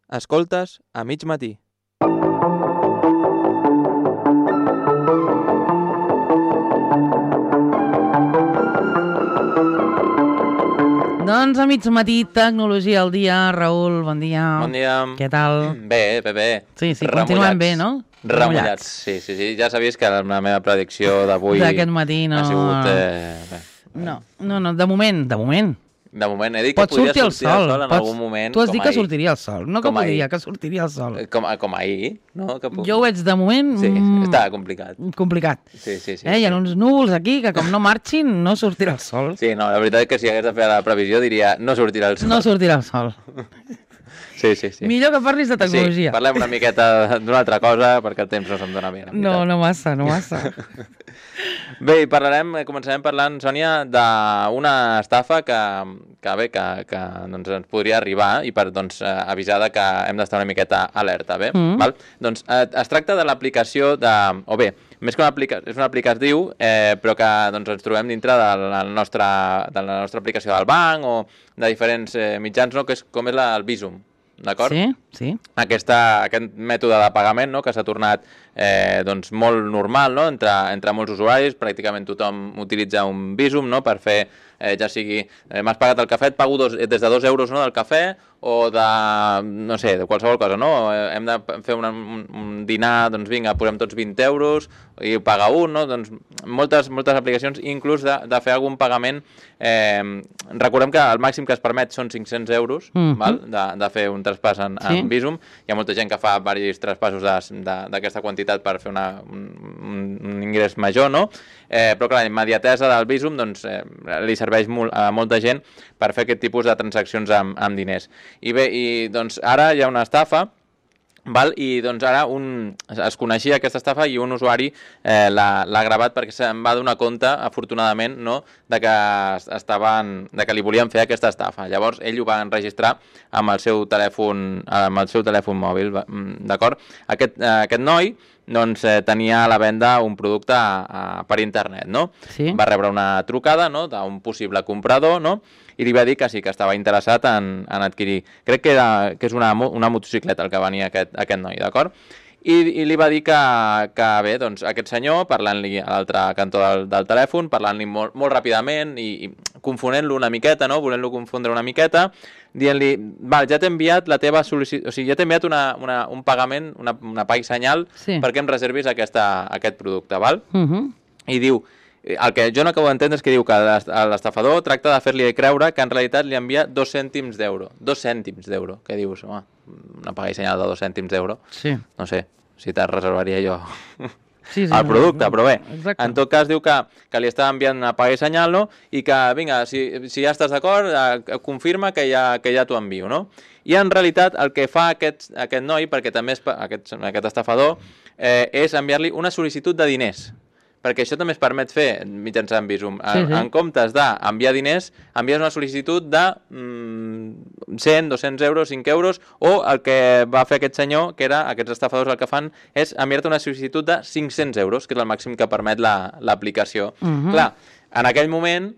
Escoltes a mig matí. Doncs a mig matí, tecnologia al dia. Raül, bon dia. Bon dia. Què tal? Bé. Sí, continuem bé, no? Remullats. Sí. Ja sabies que la meva predicció d'avui d'aquest matí no... ha sigut... No, de moment. De moment he dit que Pot podria sortir el sol en algun moment. Tu has dit que ahir. sortiria el sol, no que Com podria, ahir. que sortiria el sol. Com ahir, no? Jo ho veig de moment... Sí, està complicat. Complicat. Sí. Hi ha uns núvols aquí que com no marxin no sortirà el sol. Sí, no, la veritat és que si hagués de fer la previsió diria no sortirà el sol. No sortirà el sol. Sí. Millor que parlis de tecnologia. Sí, parlem una miqueta d'una altra cosa perquè el temps no se'm dona bé. No massa. Bé, començarem parlant, Sònia, d'una estafa que doncs, ens podria arribar i per avisar que hem d'estar una miqueta alerta, bé? Val? Doncs es tracta de l'aplicació més que és una aplicació, però que doncs, ens trobem dintre de la nostra aplicació del banc o de diferents mitjans, no? Que és com és el Bizum. D'acord? Sí. Aquest mètode de pagament, no? Que s'ha tornat doncs molt normal, no? Entre molts usuaris, pràcticament tothom utilitza un Bizum, no? Per fer, ja sigui, m'has pagat el cafè, et pago des de 2 euros, no? Del cafè, o de, no sé, de qualsevol cosa, no? Hem de fer un dinar, doncs vinga, posem tots 20 euros i ho paga un, no? Doncs moltes aplicacions, inclús de fer algun pagament. Recordem que el màxim que es permet són 500 euros, val? De fer un traspàs en Bizum. Hi ha molta gent que fa diversos traspassos d'aquesta quantitat per fer un ingrés major, no? Però clar, la immediatesa del Bizum doncs, li serveix a molta gent per fer aquest tipus de transaccions amb diners. I bé, doncs ara hi ha una estafa, val? I doncs ara es coneixia aquesta estafa i un usuari l'ha gravat perquè se'n va donar compte, afortunadament, no? de que li volien fer aquesta estafa. Llavors ell ho va enregistrar amb el seu telèfon mòbil, d'acord? Aquest noi doncs, tenia a la venda un producte per internet, no? Sí. Va rebre una trucada, no? D'un possible comprador, no? I li va dir que sí, que estava interessat en adquirir. Crec que és una motocicleta el que venia aquest noi, d'acord? I li va dir que bé, doncs aquest senyor, parlant-li a l'altre cantó del telèfon, parlant-li molt ràpidament i confonent-lo una miqueta, no? Volent-lo confondre una miqueta, dient-li, val, ja t'he enviat la teva sol·licitud, o sigui, ja t'he enviat un pagament, una pag senyal, perquè em reservis aquest producte, val? I diu, el que jo no acabo d'entendre és que diu que l'estafador tracta de fer-li creure que en realitat li envia 2 cèntims d'euro. 2 cèntims d'euro. Què dius? Home, una paga i senyal de 2 cèntims d'euro. Sí. No sé, si te'l reservaria jo el producte, però bé. Exacte. En tot cas diu que li està enviant una paga i senyal, no? I que, vinga, si ja estàs d'acord, confirma que ja t'ho envio, no? I en realitat el que fa aquest noi, perquè també és aquest estafador, és enviar-li una sol·licitud de diners. Perquè això també es permet fer mitjançant Bizum. En comptes d'enviar diners, envies una sol·licitud de 100, 200 euros, 5 euros, o el que va fer aquest senyor, que era, aquests estafadors el que fan, és enviar-te una sol·licitud de 500 euros, que és el màxim que permet l'aplicació. Clar, en aquell moment,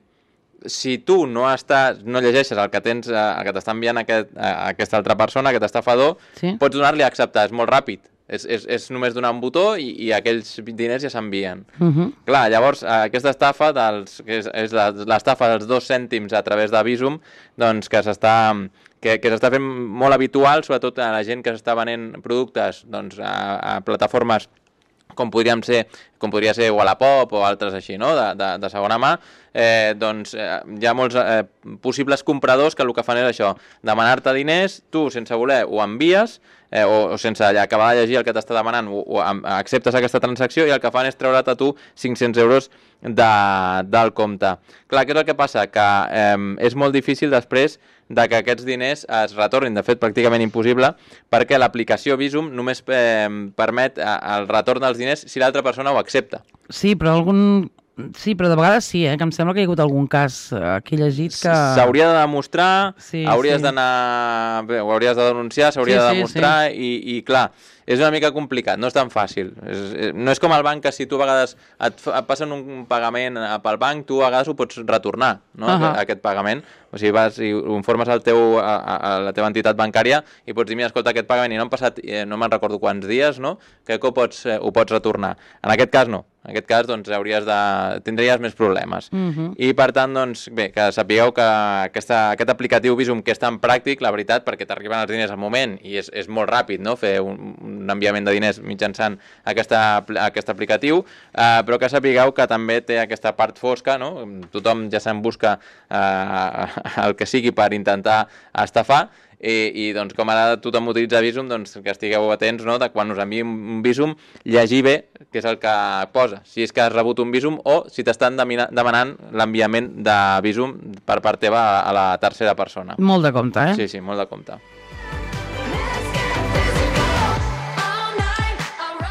si tu no llegeixes el que t'està enviant aquesta altra persona, aquest estafador, pots donar-li a acceptar, és molt ràpid. És només donar un botó i aquells diners ja s'envien. Clar, llavors, aquesta estafa, que és l'estafa dels 2 cèntims a través de Bizum, doncs que s'està fent molt habitual, sobretot a la gent que s'està venent productes a plataformes com podria ser Wallapop o altres així, no? de segona mà, doncs hi ha molts possibles compradors que el que fan és això, demanar-te diners, tu sense voler ho envies, o sense acabar de llegir el que t'està demanant, o acceptes aquesta transacció i el que fan és treure't a tu 500 euros del compte. Clar, què és el que passa? Que és molt difícil després de que aquests diners es retornin, de fet pràcticament impossible, perquè l'aplicació Bizum només permet el retorn dels diners si l'altra persona ho accepta. Sí, però algun Sí, però de vegades sí, que em sembla que hi ha hagut algun cas que he llegit que... S'hauria de demostrar, Sí, hauries sí. d'anar... Bé, ho hauries de denunciar, s'hauria Sí, de sí, demostrar i clar, és una mica complicat, no és tan fàcil. No és com el banc que si tu a vegades et passen un pagament pel banc, tu a vegades ho pots retornar, no? Aquest pagament. O sigui, vas i ho informes a la teva entitat bancària i pots dir, mira, escolta, aquest pagament i no han passat, no me'n recordo quants dies, no? Crec que ho pots retornar. En aquest cas no. En aquest cas, doncs, tindries més problemes. I, per tant, doncs, bé, que sapigueu que aquest aplicatiu Bizum, que és tan pràctic, la veritat, perquè t'arriben els diners al moment i és molt ràpid, no?, fer un enviament de diners mitjançant aquest aplicatiu, però que sapigueu que també té aquesta part fosca, no? Tothom ja se'n busca el que sigui per intentar estafar, i doncs com ara tothom utilitza Bizum, doncs que estigueu atents, no?, de quan us enviï un Bizum, llegir bé què és el que posa, si és que has rebut un Bizum o si t'estan demanant l'enviament de Bizum per part teva a la tercera persona. Molt de compte, eh? Sí, molt de compte.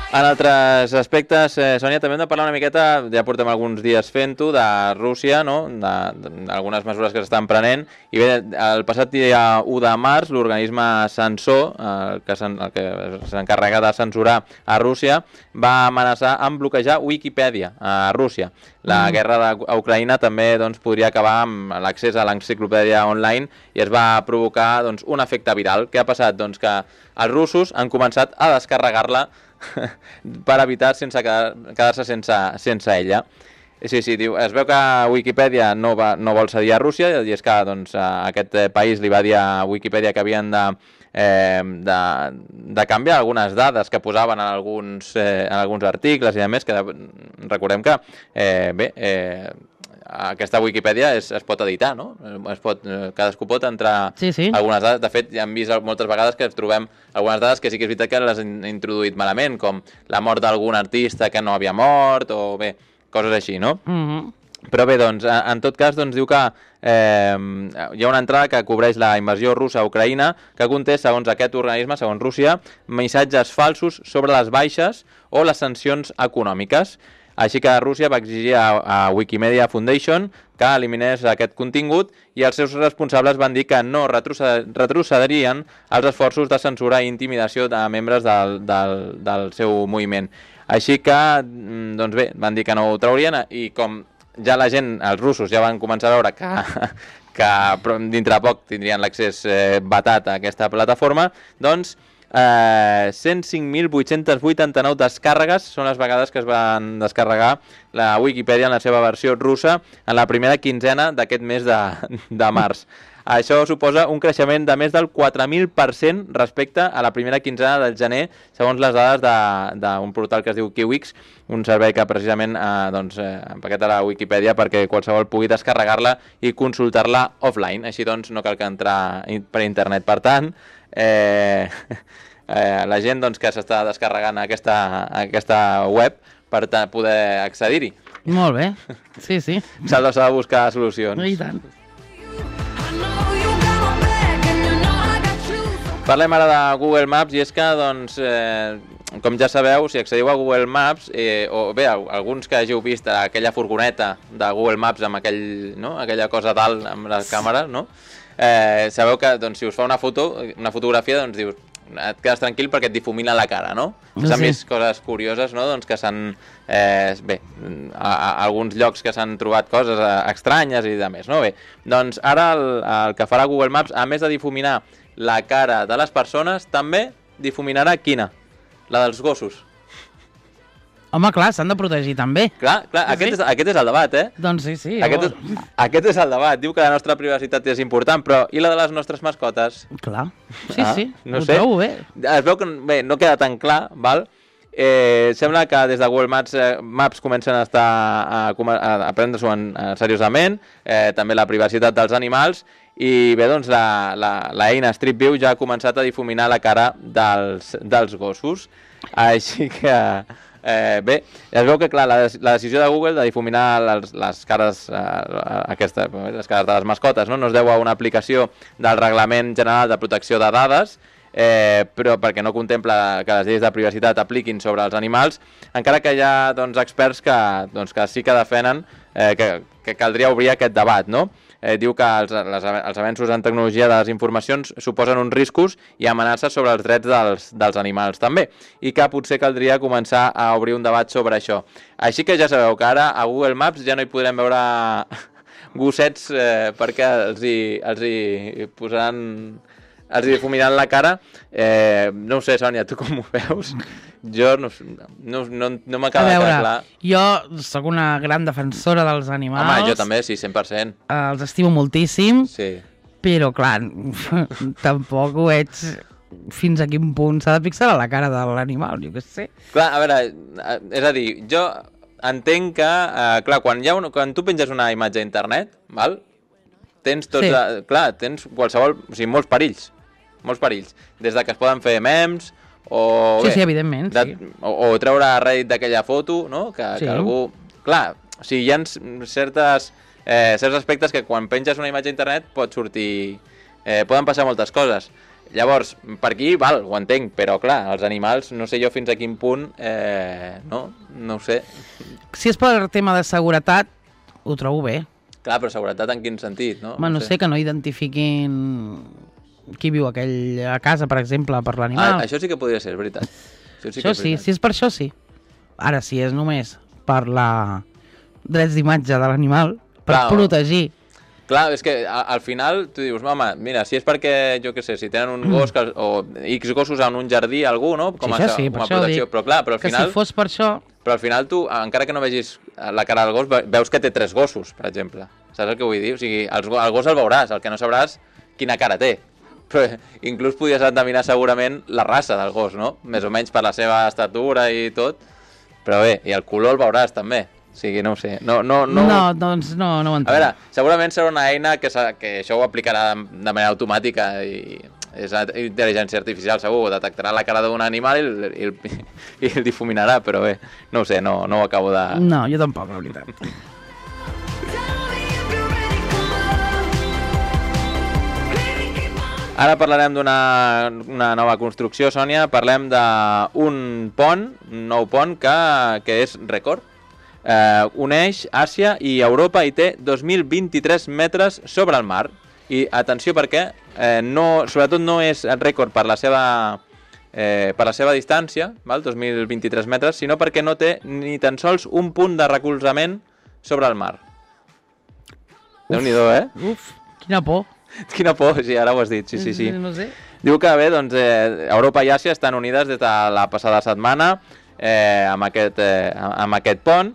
En altres aspectes, Sònia, també hem de parlar una miqueta, ja portem alguns dies fent-ho, de Rússia, no?, d'algunes mesures que s'estan prenent, i bé, el passat dia 1 de març, l'organisme censor, el que s'encarrega de censurar a Rússia, va amenaçar amb bloquejar Wikipedia a Rússia. La guerra d'Ucraïna també doncs, podria acabar amb l'accés a l'enciclopèdia online i es va provocar doncs, un efecte viral. Què ha passat? Doncs que els russos han començat a descarregar-la per evitar quedar-se sense ella. Sí, diu, es veu que Wikipedia no vol cedir a Rússia, i és que doncs, aquest país li va dir a Wikipedia que havien de canviar algunes dades que posaven en alguns articles i a més, que recordem que aquesta Wikipedia es pot editar, no? Cadascú pot entrar algunes dades. De fet, ja hem vist moltes vegades que trobem algunes dades que sí que és veritat que les han introduït malament, com la mort d'algun artista que no havia mort, o bé, coses així, no? Però bé, doncs, en tot cas, doncs, diu que hi ha una entrada que cobreix la invasió russa a Ucraïna que conté, segons aquest organisme, segons Rússia, missatges falsos sobre les baixes o les sancions econòmiques. Així que Rússia va exigir a Wikimedia Foundation que eliminés aquest contingut i els seus responsables van dir que no retrocedirien als esforços de censura i intimidació de membres del seu moviment. Així que, doncs bé, van dir que no ho traurien i com ja la gent, els russos, ja van començar a veure que dintre de poc tindrien l'accés vetat a aquesta plataforma, doncs 105.889 descàrregues són les vegades que es van descarregar la Wikipedia en la seva versió russa en la primera quinzena d'aquest mes de març. Això suposa un creixement de més del 4.000% respecte a la primera quinzena del gener, segons les dades d'un portal que es diu Kiwix, un servei que precisament empaqueta la Wikipedia perquè qualsevol pugui descarregar-la i consultar-la offline. Així doncs no cal que entrar per internet. Per tant, la gent doncs, que s'està descarregant aquesta web per poder accedir-hi. Molt bé, sí. S'ha de buscar solucions. I tant. Parlem ara de Google Maps i és que, doncs, com ja sabeu, si accediu a Google Maps, o bé, alguns que hàgiu vist aquella furgoneta de Google Maps amb aquella cosa dalt amb les càmeres, no? Sabeu que doncs, si us fa una fotografia, doncs dius, et quedes tranquil perquè et difumina la cara, no? S'han vist coses curioses, no? Doncs que s'han... bé, alguns llocs que s'han trobat coses estranyes i de més, no? Bé, doncs ara el que farà Google Maps, a més de difuminar la cara de les persones, també difuminarà quina? La dels gossos. Home, clar, s'han de protegir també. Clar, aquest és el debat, eh? Doncs sí. Aquest és el debat. Diu que la nostra privacitat és important, però i la de les nostres mascotes? Clar, sí. No ho sé. trobo bé. Es veu que no queda tan clar, val? Sembla que des de Google Maps comencen a prendre-s'ho seriosament, també la privacitat dels animals, i bé, doncs l'eina Street View ja ha començat a difuminar la cara dels gossos. Així que... bé, es veu que clar, la decisió de Google de difuminar les cares les cares de les mascotes no es deu a una aplicació del Reglament General de Protecció de Dades però perquè no contempla que les lleis de privacitat apliquin sobre els animals, encara que hi ha experts que sí que defenen que caldria obrir aquest debat, no? Diu que els avenços en tecnologia de les informacions suposen uns riscos i amenaces sobre els drets dels animals també, i que potser caldria començar a obrir un debat sobre això. Així que ja sabeu que ara a Google Maps ja no hi podrem veure gossets perquè els hi posaran... els hi difuminaran la cara. No ho sé, Sònia, tu com ho veus? Jo no m'acaba de quedar clar. Jo sóc una gran defensora dels animals. Home, jo també, sí, 100%. Els estimo moltíssim, sí. Però, clar, tampoc ho veig fins a quin punt s'ha de fixar a la cara de l'animal, jo què sé. Clar, a veure, és a dir, jo entenc que, clar, quan tu penges una imatge a internet, val? Tens tots, sí. Clar, tens qualsevol, o sigui, molts perills, des de que es poden fer memes, o sí, evidentment, sí. O treure rèdit d'aquella foto, no? Que algú... Clar, o sigui, hi ha certs aspectes que quan penges una imatge a internet pot sortir... poden passar moltes coses. Llavors, per aquí, val, ho entenc, però clar, els animals, no sé jo fins a quin punt, no ho sé. Si és per tema de seguretat, ho trobo bé. Clar, però seguretat en quin sentit, no? No sé, que no identifiquin qui viu a casa, per exemple, per l'animal. Això sí que podria ser, és veritat. Això sí, si és per això, sí. Ara, si és només per la drets d'imatge de l'animal, per protegir. Clar, és que al final tu dius, home, mira, si és perquè, jo què sé, si tenen un gos o X gossos en un jardí, algú, no? Com a protecció, però clar, però al final... Que si fos per això... Però al final tu, encara que no vegis la cara del gos, veus que té 3 gossos, per exemple. Saps el que vull dir? O sigui, el gos el veuràs, el que no sabràs quina cara té. Però inclús podries endevinar segurament la raça del gos, no? Més o menys per la seva estatura i tot. Però bé, i el color el veuràs també. O sigui, no ho sé. No, doncs no ho entenc. A veure, segurament serà una eina que això ho aplicarà de manera automàtica i és intel·ligència artificial, segur. Detectarà la cara d'un animal i el difuminarà, però bé, no ho sé, no ho acabo de... No, jo tampoc, la veritat. Ara parlarem d'una nova construcció, Sònia. Parlem d'un pont, un nou pont que és rècord. Uneix Àsia i Europa i té 2.023 metres sobre el mar. I atenció perquè sobretot no és rècord per la seva distància, val? 2.023 metres, sinó perquè no té ni tan sols un punt de recolzament sobre el mar. Déu-n'hi-do, Uf, quina por. Quina por, sí, ara ho has dit, sí. No sé. Diu que bé, doncs, Europa i Àsia estan unides des de la passada setmana amb aquest pont.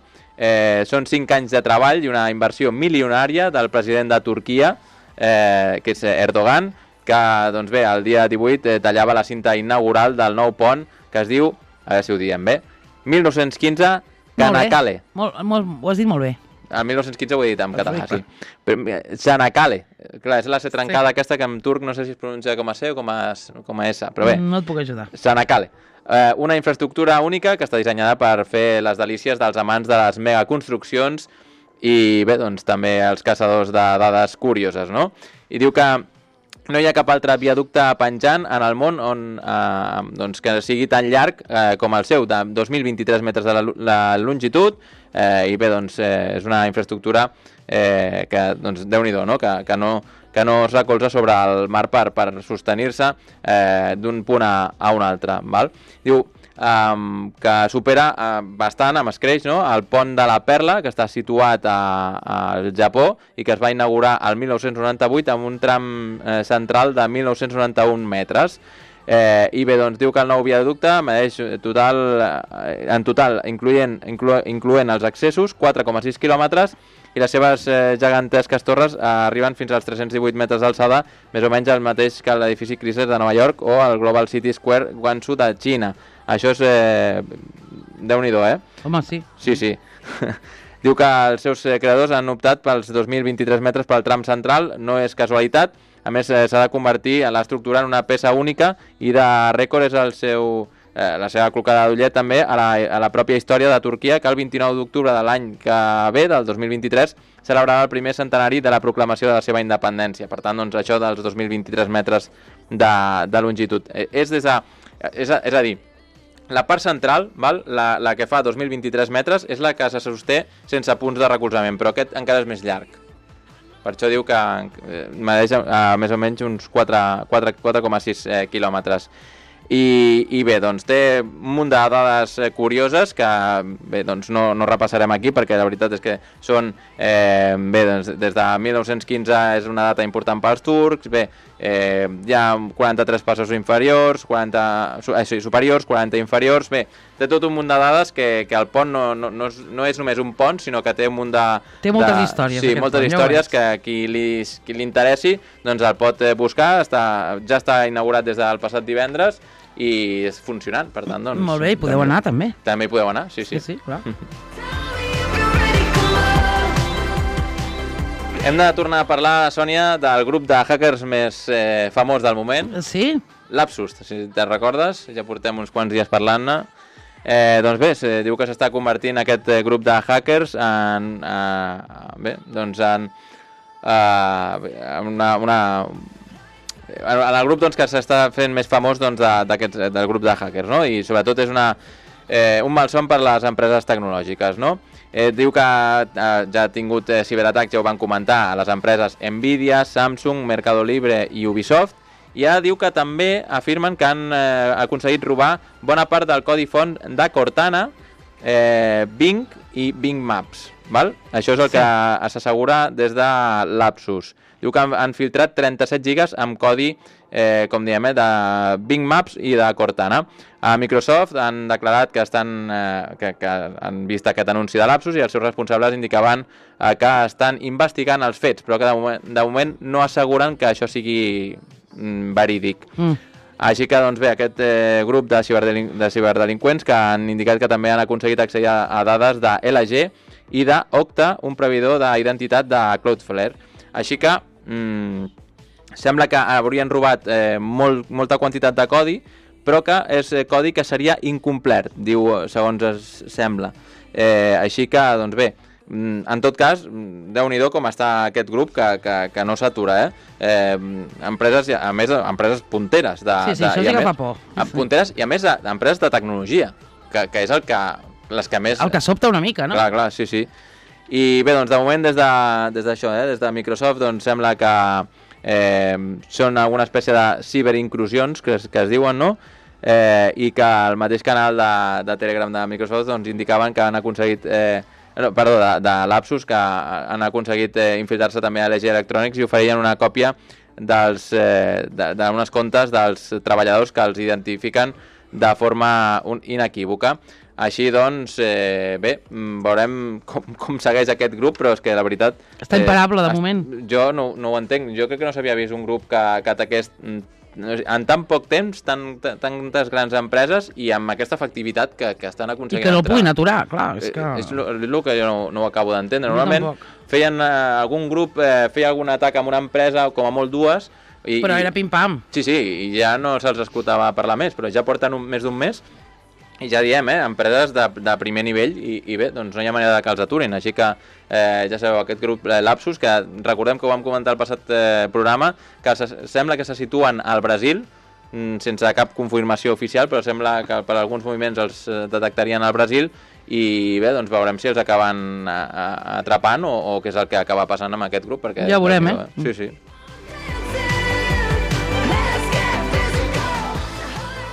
Són 5 anys de treball i una inversió milionària del president de Turquia, que és Erdogan, que doncs bé, el dia 18 tallava la cinta inaugural del nou pont, que es diu, a veure si ho diem bé, 1915 Çanakkale. Ho has dit molt bé. El 1915 ho he dit en català, sí. Çanakkale. Clar, és la C trencada aquesta que en turc no sé si es pronuncia com a C o com a S, però bé. No et puc ajudar. Çanakkale. Una infraestructura única que està dissenyada per fer les delícies dels amants de les megaconstruccions i bé, doncs també els caçadors de dades curioses, no? I diu que no hi ha cap altre viaducte penjant en el món doncs, que sigui tan llarg com el seu, de 2.023 metres de la longitud, i bé, doncs, és una infraestructura que, doncs, Déu-n'hi-do, no? Que no es recolza sobre el mar per sostenir-se d'un punt a un altre, val? Diu que supera bastant amb escreix, no? El pont de la Perla, que està situat al Japó i que es va inaugurar el 1998 amb un tram central de 1.991 metres. I bé, doncs diu que el nou viaducte medeix en total, incloent els accessos, 4,6 quilòmetres, i les seves gegantesques torres arriben fins als 318 metres d'alçada, més o menys el mateix que l'edifici Chrysler de Nova York o el Global City Square Guangzhou de Xina. Això és... Déu-n'hi-do, Home, sí. Sí. Diu que els seus creadors han optat pels 2.023 metres pel tram central, no és casualitat. A més, s'ha de convertir l'estructura en una peça única i de rècord és el seu la seva clocada d'ullet també a la pròpia història de Turquia, que el 29 d'octubre de l'any que ve, del 2023, celebrava el primer centenari de la proclamació de la seva independència. Per tant, doncs, això dels 2023 metres de longitud. És a dir, la part central, val, la que fa 2.023 metres, és la que se sosté sense punts de recolzament, però aquest encara és més llarg. Per això diu que medeix més o menys uns 4,6 quilòmetres. I bé, doncs té un munt de dades curioses que bé, doncs no repassarem aquí perquè la veritat és que són bé, doncs, des de 1915 és una data important pels turcs, bé, hi ha 43 passos inferiors, 40 superiors, 40 inferiors, bé, té tot un munt de dades que el pont no és només un pont, sinó que té un munt de... Té moltes històries. Sí, moltes històries que qui li interessi doncs el pot buscar, ja està inaugurat des del passat divendres i és funcionant, per tant, doncs... Molt bé, i podeu anar, també. També hi podeu anar, sí. Sí, clar. Hem de tornar a parlar, Sònia, del grup de hackers més famós del moment. Sí? Lapsus, si te'n recordes, ja portem uns quants dies parlant-ne. Doncs bé, diu que s'està convertint aquest grup de hackers en el grup doncs, que s'està fent més famós doncs, del grup de hackers, no? I sobretot és un malson per les empreses tecnològiques, no? Diu que ja ha tingut ciberatacs, ja ho van comentar, a les empreses Nvidia, Samsung, Mercado Libre i Ubisoft, i ara diu que també afirmen que han aconseguit robar bona part del codi font de Cortana, Bing i Bing Maps. Val? Això és el que s'assegura des de Lapsus. Diu que han filtrat 37 gigas amb codi, com diem, de Bing Maps i de Cortana. A Microsoft han declarat que han vist aquest anunci de Lapsus i els seus responsables indicaven que estan investigant els fets, però que de moment no asseguren que això sigui verídic. Així que, doncs bé, aquest grup de ciberdelinqüents que han indicat que també han aconseguit accedir a dades de LG i d'Okta, un proveïdor d'identitat de Cloudflare. Així que sembla que haurien robat molta quantitat de codi, però que és codi que seria incomplet, diu, segons es sembla. Així que, doncs bé, en tot cas, Déu-n'hi-do com està aquest grup que no s'atura, empreses, a més, empreses punteres. Sí, això sí que fa por. Punteres i a més empreses de tecnologia, que és les que més... El que sobta una mica, no? Clar, sí. I bé, doncs de moment des d'això, des de Microsoft, doncs sembla que són alguna espècie de ciberinclusions que es diuen, no? I que el mateix canal de Telegram de Microsoft doncs indicaven que han aconseguit... de Lapsus, que han aconseguit infiltrar-se també a LG Electronics i oferien una còpia d'unes comptes dels treballadors que els identifiquen de forma inequívoca. Així doncs, bé, veurem com segueix aquest grup, però és que la veritat... Està imparable, de moment. Jo no ho entenc. Jo crec que no s'havia vist un grup que ataqués en tan poc temps, tantes grans empreses i amb aquesta efectivitat que estan aconseguint. I que no puguin aturar, clar. És el que jo no ho acabo d'entendre. Normalment feien algun grup, feia algun atac amb una empresa, com a molt dues... Però era pim-pam. Sí, i ja no se'ls escoltava parlar més, però ja porten més d'un mes i ja diem, empreses de primer nivell i bé, doncs no hi ha manera que els aturin, així que ja sabeu, aquest grup Lapsus, que recordem que ho vam comentar al passat programa, que sembla que se situen al Brasil, sense cap confirmació oficial, però sembla que per alguns moviments els detectarien al Brasil i bé, doncs veurem si els acaben atrapant o què és el que acaba passant amb aquest grup, perquè... Ja veurem, Sí.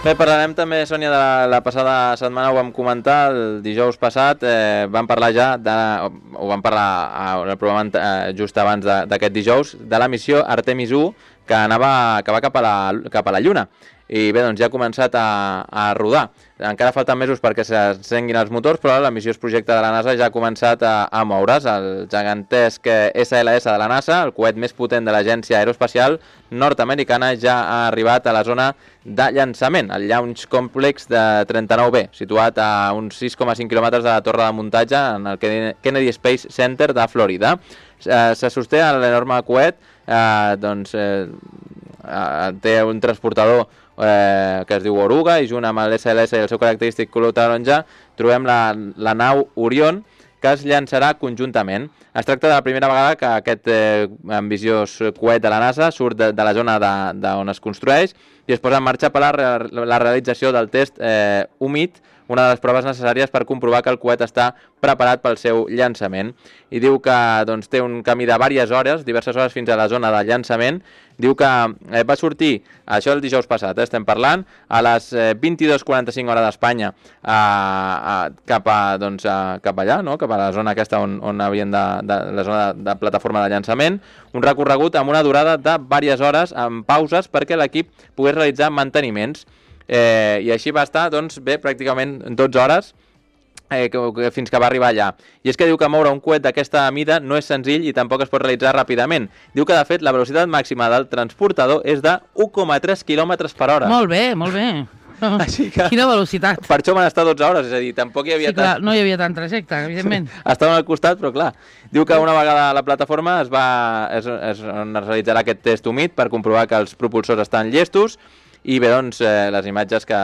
Bé, parlarem també, Sònia, de la passada setmana, ho vam comentar, el dijous passat, vam parlar ja, ho vam parlar al programa just abans d'aquest dijous, de la missió Artemis 1, que va cap a la Lluna. I bé, doncs ja ha començat a rodar. Encara falten mesos perquè s'encenguin els motors, però la missió projecte de la NASA ja ha començat a moure's. El gegantesc SLS de la NASA, el coet més potent de l'Agència Aeroespacial Nord-Americana, ja ha arribat a la zona de llançament, el Launch Complex de 39B, situat a uns 6,5 quilòmetres de la torre de muntatge en el Kennedy Space Center de Florida. Se sosté l'enorme coet, té un transportador que es diu Oruga, i junt amb l'SLS i el seu característic color taronja trobem la nau Orion, que es llançarà conjuntament. Es tracta de la primera vegada que aquest ambiciós coet de la NASA surt de la zona on es construeix i es posa en marxa per la realització del test humit, una de les proves necessàries per comprovar que el coet està preparat pel seu llançament. I diu que doncs, té un camí de diverses hores fins a la zona de llançament. Diu que va sortir, això el dijous passat, estem parlant, a les 22:45 hora d'Espanya cap allà, no? Cap a la zona aquesta on havien la zona de plataforma de llançament, un recorregut amb una durada de diverses hores amb pauses perquè l'equip pogués realitzar manteniments. I així va estar, doncs, bé, pràcticament 12 hores fins que va arribar allà. I és que diu que moure un coet d'aquesta mida no és senzill i tampoc es pot realitzar ràpidament. Diu que, de fet, la velocitat màxima del transportador és de 1,3 km per hora. Molt bé, molt bé. Així que, quina velocitat. Per això van estar 12 hores, és a dir, tampoc hi havia... Sí, clar, no hi havia tant trajecte, evidentment. Estaven al costat, però clar. Diu que una vegada a la plataforma es realitzarà aquest test humit per comprovar que els propulsors estan llestos. I bé, doncs, les imatges que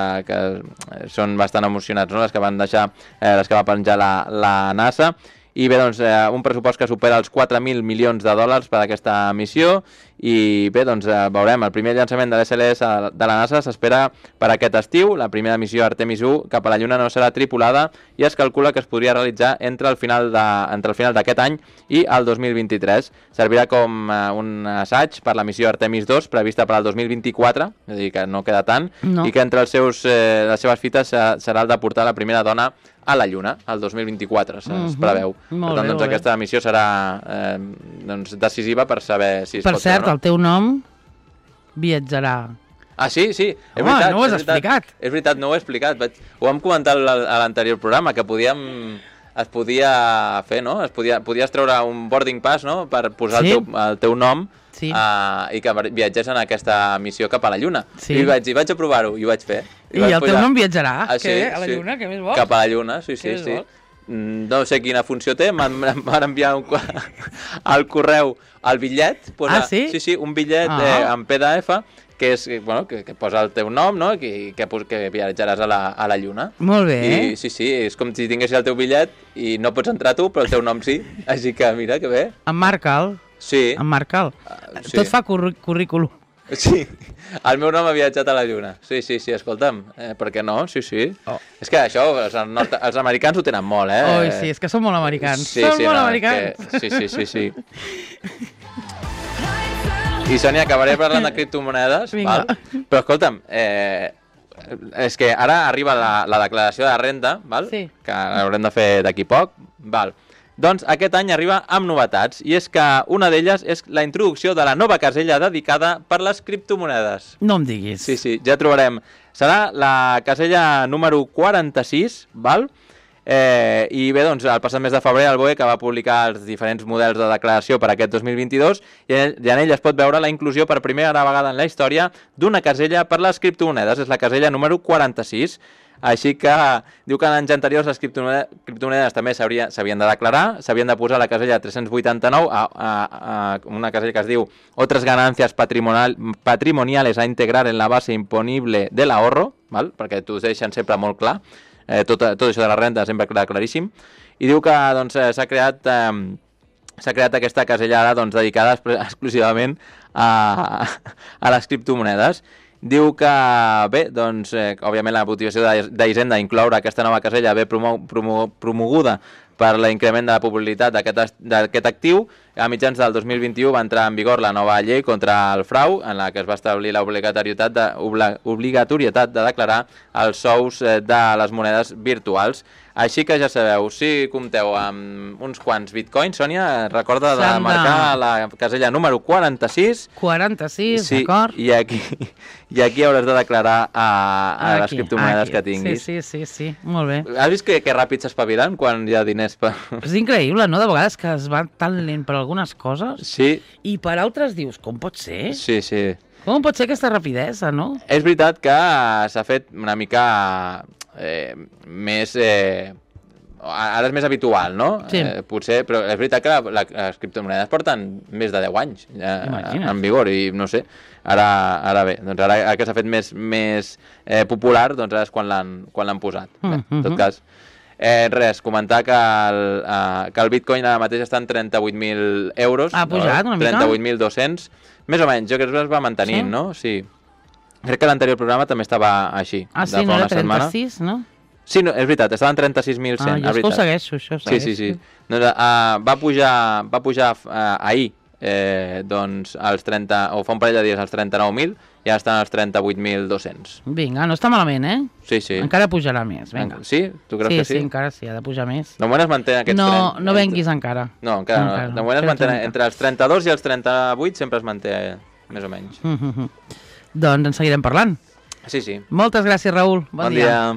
són bastant emocionants, no? Les que van deixar, les que va penjar la NASA. I bé, doncs, un pressupost que supera els 4.000 milions de dòlars per a aquesta missió. I bé, doncs, veurem, el primer llançament de l'SLS de la NASA s'espera per aquest estiu. La primera missió Artemis 1 cap a la Lluna no serà tripulada i es calcula que es podria realitzar entre el final d'aquest any i el 2023. Servirà com un assaig per la missió Artemis 2 prevista per al 2024, és a dir, que no queda tant, i que entre les seves fites serà el de portar la primera dona a la Lluna, el 2024, es preveu. Per tant, doncs, aquesta missió serà decisiva per saber si es pot fer o no. Per cert, el teu nom viatjarà. Ah, sí, és veritat. No ho has explicat. És veritat, no ho he explicat. Ho vam comentar a l'anterior programa, que es podia fer, no? Podies treure un boarding pass, no?, per posar el teu nom i que viatgés en aquesta missió cap a la Lluna. I vaig a provar-ho, i ho vaig fer. I el teu nom viatjarà? A la Lluna? Què més vols? Cap a la Lluna, sí. No sé quina funció té, m'han enviar al correu el bitllet. Sí, un bitllet en PDF que posa el teu nom, no?, que viatjaràs a la Lluna. Molt bé. I sí, és com si tinguessis el teu bitllet i no pots entrar tu, però el teu nom sí. Així que mira, que bé. Emmarca'l. Sí. Emmarca'l. Tot fa currículum. Sí, el meu nom ha viatjat a la Lluna. Sí, escolta'm, per què no? Sí. És que això, els americans ho tenen molt, Oi, sí, és que són molt americans. Són molt americans. Sí. I, Sònia, acabaré parlant de criptomonedes, val? Però escolta'm, és que ara arriba la declaració de renda, val? Sí. Que l'haurem de fer d'aquí poc, val? Doncs aquest any arriba amb novetats, i és que una d'elles és la introducció de la nova casella dedicada per les criptomonedes. No em diguis. Sí, ja trobarem. Serà la casella número 46, val? I bé, doncs, el passat mes de febrer el BOE, que va publicar els diferents models de declaració per aquest 2022, i en ell es pot veure la inclusió per primera vegada en la història d'una casella per les criptomonedes. És la casella número 46. Així que diu que en anys anteriors les criptomonedes també s'havien de declarar, s'havien de posar la casella 389 a una casella que es diu otras ganancias patrimoniales a integrar en la base imponible del ahorro, val? Perquè t'ho deixen sempre molt clar, tot això de la renda sempre queda claríssim, i diu que doncs, s'ha creat aquesta casella ara doncs, dedicada exclusivament a les criptomonedes. Diu que, bé, doncs, òbviament la motivació d'Hisenda incloure aquesta nova casella ve promoguda per l'increment de la popularitat d'aquest actiu. A mitjans del 2021 va entrar en vigor la nova llei contra el frau, en la que es va establir l'obligatorietat de declarar els sous de les monedes virtuals. Així que ja sabeu, si compteu amb uns quants bitcoins, Sònia, recorda de marcar la casella número 46. 46, d'acord. I aquí hauràs de declarar a les criptomonedes que tinguis. Sí, molt bé. Has vist que ràpid s'espavilen quan hi ha diners? És increïble, no? De vegades que es va tan lent per algunes coses i per altres dius, com pot ser? Sí. Com pot ser aquesta rapidesa, no? És veritat que s'ha fet una mica més ara és més habitual, no? Sí. Potser, però és veritat que les criptomonedes porten més de 10 anys en vigor i no sé, ara bé, doncs ara que s'ha fet més popular, doncs ara és quan l'han posat. Bé, en tot cas, res, comentar que el Bitcoin ara mateix està en 38.000 euros. Ha pujat una mica? 38.200, més o menys, jo crec que es va mantenint, no? Sí. Crec que l'anterior programa també estava així. Ah, sí, no era 36, no? Sí, no, és veritat, estava en 36.100. Jo és que ho segueixo, això ho segueixo. Sí. Doncs, va pujar ahir, doncs, als 30, o fa un parell de dies als 39.000, i ara estan als 38.200. Vinga, no està malament, eh? Sí. Encara pujarà més, vinga. Sí? Tu creus que sí? Sí, encara sí, ha de pujar més. De moment es manté aquests 30. No venguis encara. No, encara no. De moment es manté entre els 32 i els 38, sempre es manté més o menys. Doncs en seguirem parlant. Sí. Moltes gràcies, Raül. Bon dia.